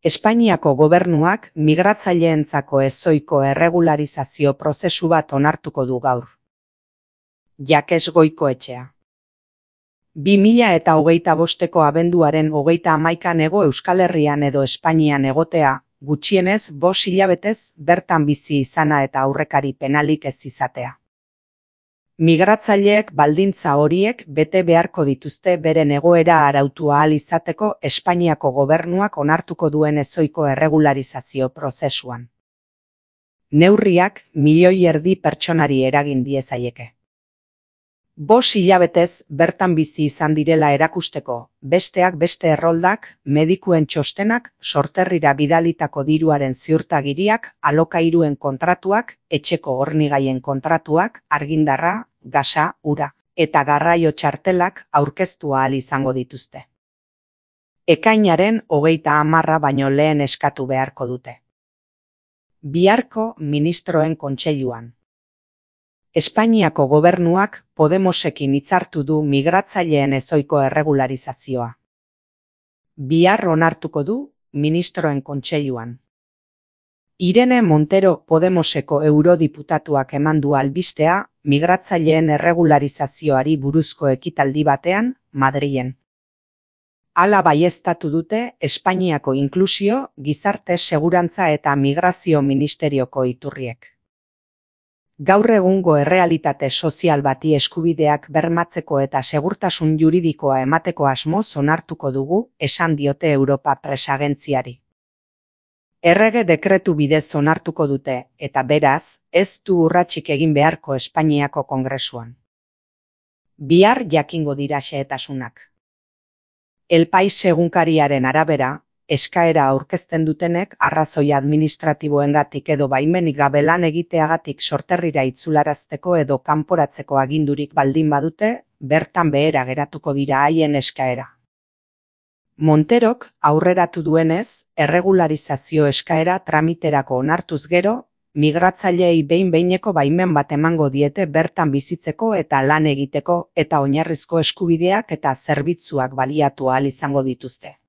Espainiako gobernuak migratzaileentzako ezohiko erregularizazio prozesu bat onartuko du gaur. Jakes Goikoetxea. 2025ko abenduaren 31an hego Euskal Herrian edo Espainian egotea, gutxienez 5 hilabetez bertan bizi izana eta aurrekari penalik ez izatea. Migratzaileek baldintza horiek bete beharko dituzte beren egoera arautu ahal izateko Espainiako gobernuak onartuko duen ezohiko erregularizazio prozesuan. Neurriak 1,5 milioi pertsonari eragin diezaieke. 5 hilabetez bertan bizi izan direla erakusteko, besteak beste erroldak, medikuen txostenak, sorterrira bidalitako diruaren ziurtagiriak, alokairuen kontratuak, etxeko hornigaien kontratuak, argindarra, gasa, ura eta garraio txartelak aurkeztu ahal izango dituzte. Ekainaren 30 baino lehen eskatu beharko dute. Biharko ministroen kontseiluan. Espainiako gobernuak Podemosekin hitzartu du migratzaileen ezohiko erregularizazioa. Bihar onartuko du ministroen kontseiluan. Irene Montero Podemoseko eurodiputatuak eman du albistea migratzaileen erregularizazioari buruzko ekitaldi batean, Madrilen. Hala baieztatu dute Espainiako Inklusio, Gizarte Segurantza eta Migrazio Ministerioko iturriek. Gaur egungo errealitate sozial bati eskubideak bermatzeko eta segurtasun juridikoa emateko asmoz onartuko dugu, esan diote Europa Press agentziari. Errege dekretu bidez onartuko dute, eta beraz, ez du urratsik egin beharko Espainiako Kongresuan. Bihar jakingo dira xehetasunak. El País egunkariaren arabera, eskaera aurkezten dutenek arrazoi administratiboengatik edo baimenik gabe lan egiteagatik sorterrira itzularazteko edo kanporatzeko agindurik baldin badute, bertan behera geratuko dira haien eskaera. Monterok aurreratu duenez, erregularizazio eskaera tramiterako onartuz gero, migratzaileei behin-behineko baimen bat emango diete bertan bizitzeko eta lan egiteko eta oinarrizko eskubideak eta zerbitzuak baliatu ahal izango dituzte.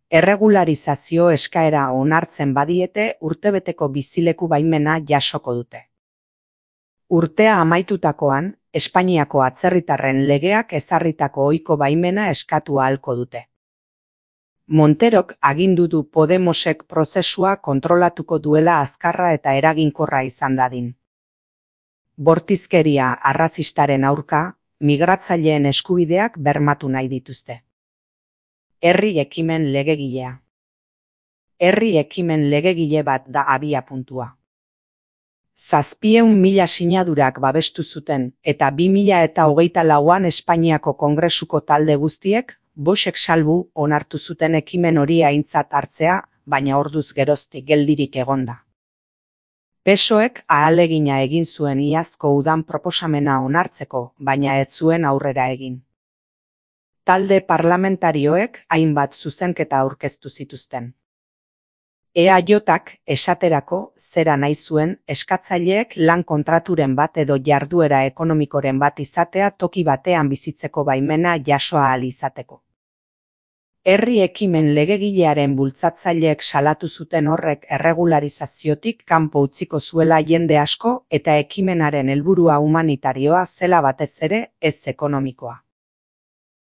Erregularizazio eskaera onartzen badiete urtebeteko bizileku baimena jasoko dute. Urtea amaitutakoan, Espainiako atzerritarren legeak ezarritako ohiko baimena eskatu ahalko dute. Monterok agindu du Podemosek prozesua kontrolatuko duela azkarra eta eraginkorra izan dadin. Bortizkeria arrazistaren aurka, migratzaileen eskubideak bermatu nahi dituzte. Herri ekimen legegilea. Herri ekimen legegile bat da abiapuntua. 700.000 sinadurak babestu zuten eta 2024an Espainiako Kongresuko talde guztiek, Voxek salbu onartu zuten ekimen hori aintzat hartzea, baina orduz geroztik geldirik egonda. PSOEk ahalegina egin zuen iazko udan proposamena onartzeko, baina ez zuen aurrera egin. Talde parlamentarioek hainbat zuzenketa aurkeztu zituzten. EAJak esaterako zera nahi zuen eskatzaileek lan kontraturen bat edo jarduera ekonomikoren bat izatea toki batean bizitzeko baimena jaso ahal izateko. Herri ekimen legegilearen bultzatzaileek salatu zuten horrek erregularizaziotik kanpo utziko zuela jende asko eta ekimenaren helburua humanitarioa zela batez ere ez ekonomikoa.